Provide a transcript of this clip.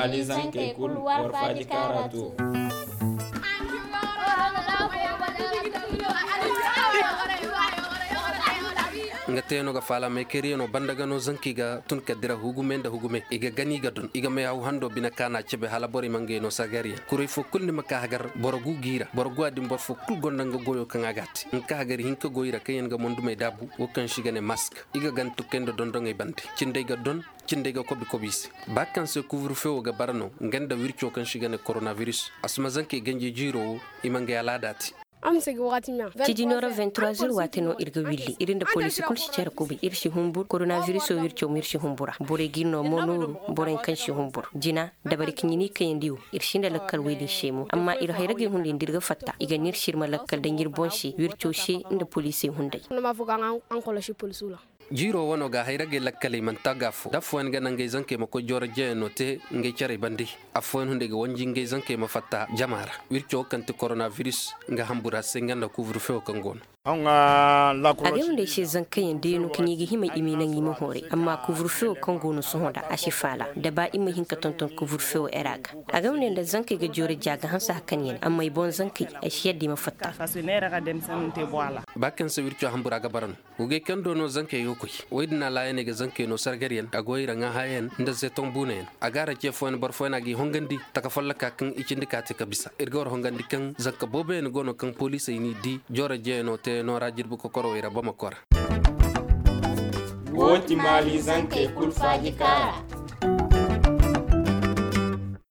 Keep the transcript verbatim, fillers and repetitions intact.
Alizankey kul war faaji kaara too. Nga tee no ga faala meekariyano banda ga no zankey ga tun ka dira hugume nda hugume i ga gani ga don i ga may haw hando bine kaana cebe hala borey ma ngey no sagaryaŋ kuray foo kul ni ma ka hagar boro gu g'i ra boro gu a din boro foo kul gonda nga goyo kaŋ a g'a te nka hagar hinka goy ra kaŋ yaŋ ga mondumey daabu wo kaŋ se i ga ne mask. I ga gan tukey nda dondoŋey bande cindey ga don. Cindey ga kobi kobi i se. Ba kaŋ se kuvrufewo ga bara no nga nda wirco kaŋ se i ga ne koronabiris a si ma zankey ganji jiiro wo. I ma ngey alaada te. Ciji nooro vingt trois heures waati no ir ga willi ir nda poliisi kul si care kubi ir si humbur koronabiriso wirco ma ir si humbura borey ga ir no mo nooru. Borey kaŋ si humbur jina dabari ka ɲini kayandi wo. Ir sinda lakkal wey din se mo amma ir hayragey hunday nda ir ga fatta i ga nir sirma lakkal daŋ ir boŋ se wirco se nda poliisey hunday. Jiiro wano ga hayragey lakkaley manti a ga fo da affooyaŋ ga naŋ ngey zankey ma koy jooro jeeyaŋo te ngey carey bande. Affooyaŋ hunday ga wanji ngey zankey ma fatta jama ra. Wirco kaŋ ti koronabiris nga hambura se nga nda kuvrufewo kaŋ go no. A ga hunday se zankayyaŋ deenu kaŋ i ga hima i m'i naŋ i ma hooray amma kuvrufewo kaŋ go no sohõ da a si faala da ba i ma hin ka tonton kuvrufewo era ga. A ga hunday nda zankey ga jooro jaa ga hanse hakanyaŋ amma i boŋ zankey ay si yadda i ma fatta. Ba kaŋ se wirco hambura ga bara no. Wogey kaŋ do no zankey ga koy. Woy din alaayaney ga zankey no sargaryaŋ a go i ra ŋaahayaŋ nda zeton buunayaŋ. A ga a ra ce fooyaŋ boro fooyaŋ a g'i hongandi taka folloka kaŋ i cindi ka te ka bisa ir ga war hongandi kaŋ zanka booboyaŋ go no kaŋ poliisey n'i di jooro jeeyaŋo teeyaŋo ra jirbi kokorowey ra bamako ra. Wo ti maali zankey kul faaji kaara.